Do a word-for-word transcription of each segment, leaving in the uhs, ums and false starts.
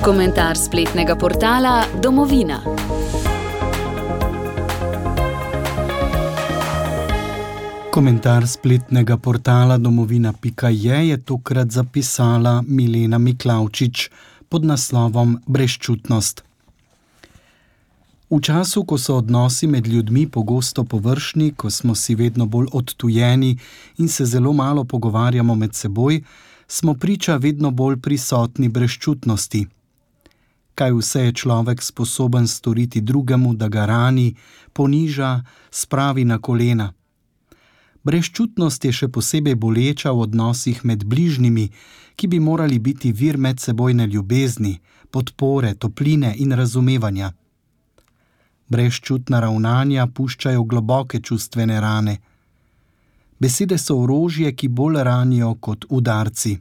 Komentar spletnega portala Domovina. Komentar spletnega portala domovina pika je je tokrat zapisala Milena Miklavčič pod naslovom Brezčutnost. V času, ko so odnosi med ljudmi pogosto površni, ko smo si vedno bolj odtujeni in se zelo malo pogovarjamo med seboj, smo priča vedno bolj prisotni brezčutnosti. Kaj vse je človek sposoben storiti drugemu, da ga rani, poniža, spravi na kolena. Brezčutnost je še posebej boleča v odnosih med bližnjimi, ki bi morali biti vir medsebojne ljubezni, podpore, topline in razumevanja. Brezčutna ravnanja puščajo globoke čustvene rane. Besede so orožje, ki bolj ranijo kot udarci.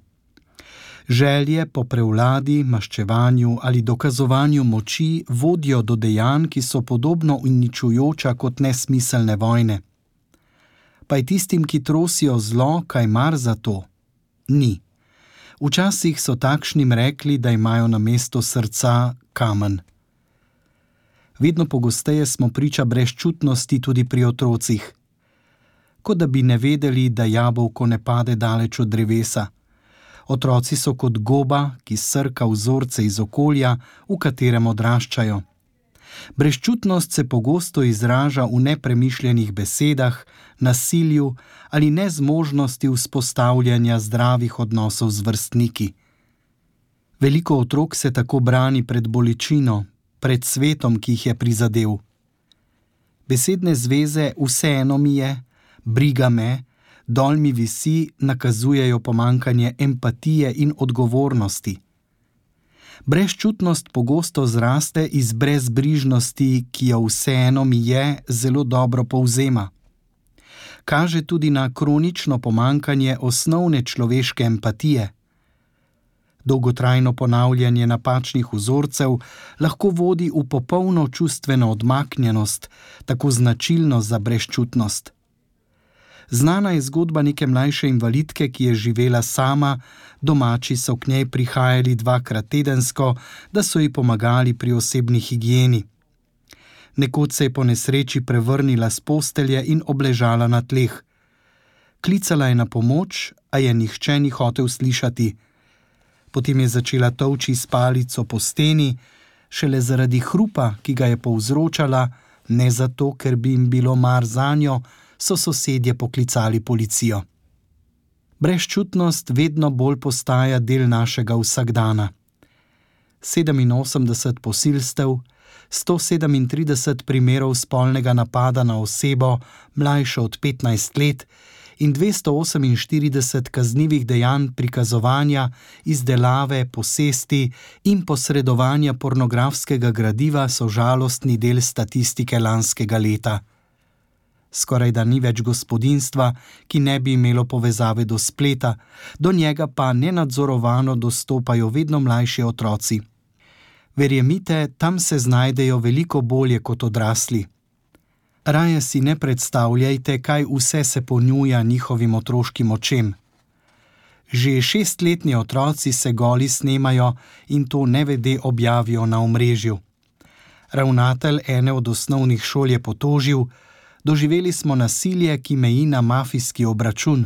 Želje po prevladi, maščevanju ali dokazovanju moči vodijo do dejanj, ki so podobno uničujoča kot nesmiselne vojne. Pa je tistim, ki trosijo zlo, kaj mar za to? Ni. Včasih so takšnim rekli, da imajo namesto srca kamen. Vedno pogosteje smo priča brezčutnosti tudi pri otrocih. Kot da bi ne vedeli, da jabolko ne pade daleč od drevesa. Otroci so kot goba, ki srka vzorce iz okolja, v katerem odraščajo. Brezčutnost se pogosto izraža v nepremišljenih besedah, nasilju ali nezmožnosti vzpostavljanja zdravih odnosov z vrstniki. Veliko otrok se tako brani pred bolečino, pred svetom, ki jih je prizadel. Besedne zveze vseeno mi je, briga me, dol mi visi, nakazujejo pomanjkanje empatije in odgovornosti. Brezčutnost pogosto zraste iz brezbrižnosti, ki jo vseeno mi je, zelo dobro povzema. Kaže tudi na kronično pomanjkanje osnovne človeške empatije. Dolgotrajno ponavljanje napačnih vzorcev lahko vodi v popolno čustveno odmaknjenost, tako značilno za brezčutnost. Znana je zgodba neke mlajše invalidke, ki je živela sama, domači so k njej prihajali dvakrat tedensko, da so ji pomagali pri osebni higieni. Nekoč se je po nesreči prevrnila s postelje in obležala na tleh. Klicala je na pomoč, a je nihče ni hotel slišati. Potem je začela tolči s palico po steni, šele zaradi hrupa, ki ga je povzročala, ne zato, ker bi jim bilo mar zanjo, so sosedje poklicali policijo. Brezčutnost vedno bolj postaja del našega vsakdana. sedeminosemdeset posilstev, sto sedemintrideset primerov spolnega napada na osebo mlajšo od petnajst let in dvesto oseminštirideset kaznivih dejanj prikazovanja, izdelave, posesti in posredovanja pornografskega gradiva so žalostni del statistike lanskega leta. Skoraj da ni več gospodinjstva, ki ne bi imelo povezave do spleta, do njega pa nenadzorovano dostopajo vedno mlajši otroci. Verjemite, tam se znajdejo veliko bolje kot odrasli. Raje si ne predstavljajte, kaj vse se ponuja njihovim otroškim očem. Že šestletni otroci se goli snemajo in to nevede objavijo na omrežju. Ravnatelj ene od osnovnih šol je potožil: doživeli smo nasilje, ki meji na mafijski obračun.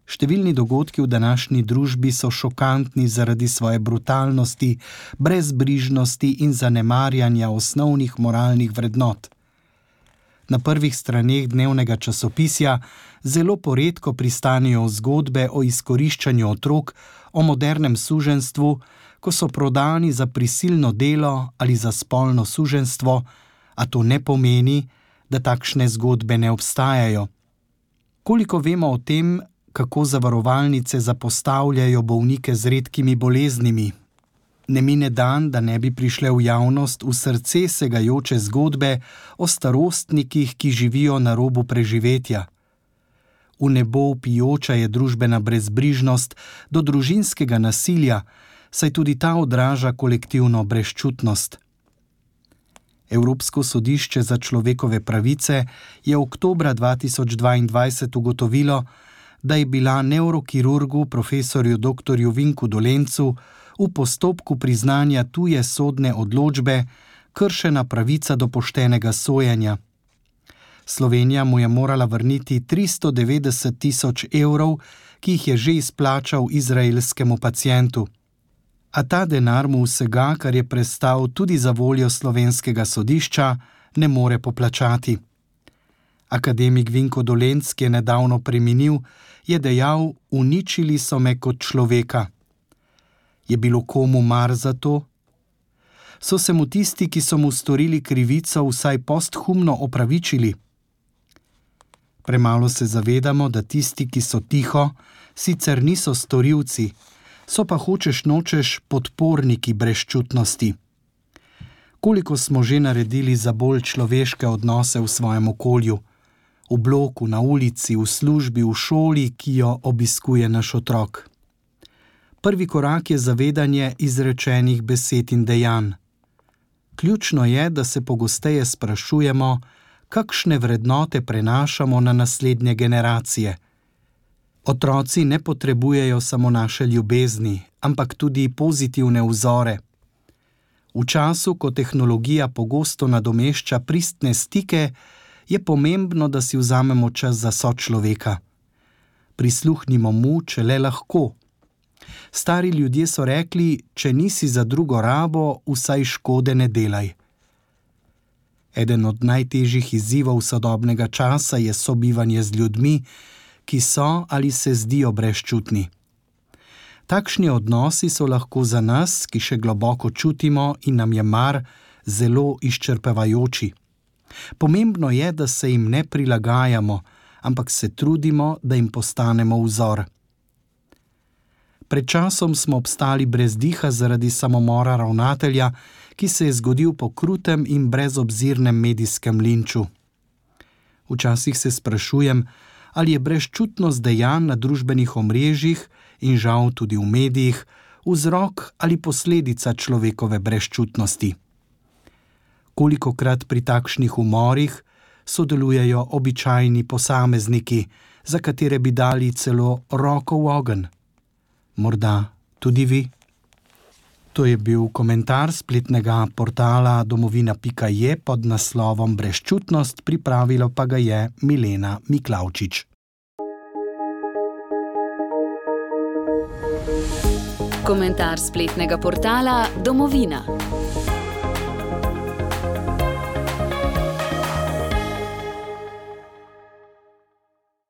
Številni dogodki v današnji družbi so šokantni zaradi svoje brutalnosti, brezbrižnosti in zanemarjanja osnovnih moralnih vrednot. Na prvih straneh dnevnega časopisja zelo poredko pristanejo zgodbe o izkoriščanju otrok, o modernem suženjstvu, ko so prodani za prisilno delo ali za spolno suženjstvo, a to ne pomeni, da takšne zgodbe ne obstajajo. Koliko vemo o tem, kako zavarovalnice zapostavljajo bolnike z redkimi boleznimi? Ne mine dan, da ne bi prišle v javnost v srce segajoče zgodbe o starostnikih, ki živijo na robu preživetja. V nebo vpijoča je družbena brezbrižnost do družinskega nasilja, saj tudi ta odraža kolektivno brezčutnost. Evropsko sodišče za človekove pravice je oktobra dva tisoč dvaindvajset ugotovilo, da je bila nevrokirurgu profesorju doktorju Vinku Dolencu v postopku priznanja tuje sodne odločbe kršena pravica do poštenega sojenja. Slovenija mu je morala vrniti tristo devetdeset tisoč evrov, ki jih je že izplačal izraelskemu pacientu. A ta denar mu vsega, kar je prestal tudi za voljo slovenskega sodišča, ne more poplačati. Akademik Vinko Dolenc, ki je nedavno preminil, je dejal: "Uničili so me kot človeka." Je bilo komu mar za to? So se mu tisti, ki so mu storili krivico, vsaj posthumno opravičili? Premalo se zavedamo, da tisti, ki so tiho, sicer niso storilci, so pa hočeš nočeš podporniki brezčutnosti. Koliko smo že naredili za bolj človeške odnose v svojem okolju, v bloku, na ulici, v službi, v šoli, ki jo obiskuje naš otrok. Prvi korak je zavedanje izrečenih besed in dejanj. Ključno je, da se pogosteje sprašujemo, kakšne vrednote prenašamo na naslednje generacije. Otroci ne potrebujejo samo naše ljubezni, ampak tudi pozitivne vzore. V času, ko tehnologija pogosto nadomešča pristne stike, je pomembno, da si vzamemo čas za sočloveka. Prisluhnimo mu, če le lahko. Stari ljudje so rekli: "Če nisi za drugo rabo, vsaj škode ne delaj." Eden od najtežjih izzivov sodobnega časa je sobivanje z ljudmi, ki so ali se zdijo brezčutni. Takšni odnosi so lahko za nas, ki še globoko čutimo in nam je mar, zelo izčrpavajoči. Pomembno je, da se jim ne prilagajamo, ampak se trudimo, da jim postanemo vzor. Pred časom smo obstali brez diha zaradi samomora ravnatelja, ki se je zgodil po krutem in brezobzirnem medijskem linču. Včasih se sprašujem, ali je brezčutnost dejanj na družbenih omrežjih in žal tudi v medijih vzrok ali posledica človekove brezčutnosti. Kolikokrat pri takšnih umorih sodelujejo običajni posamezniki, za katere bi dali celo roko v ogenj. Morda tudi vi? To je bil komentar spletnega portala domovina pika je pod naslovom Brezčutnost, pripravila pa ga je Milena Miklavčič. Komentar spletnega portala Domovina.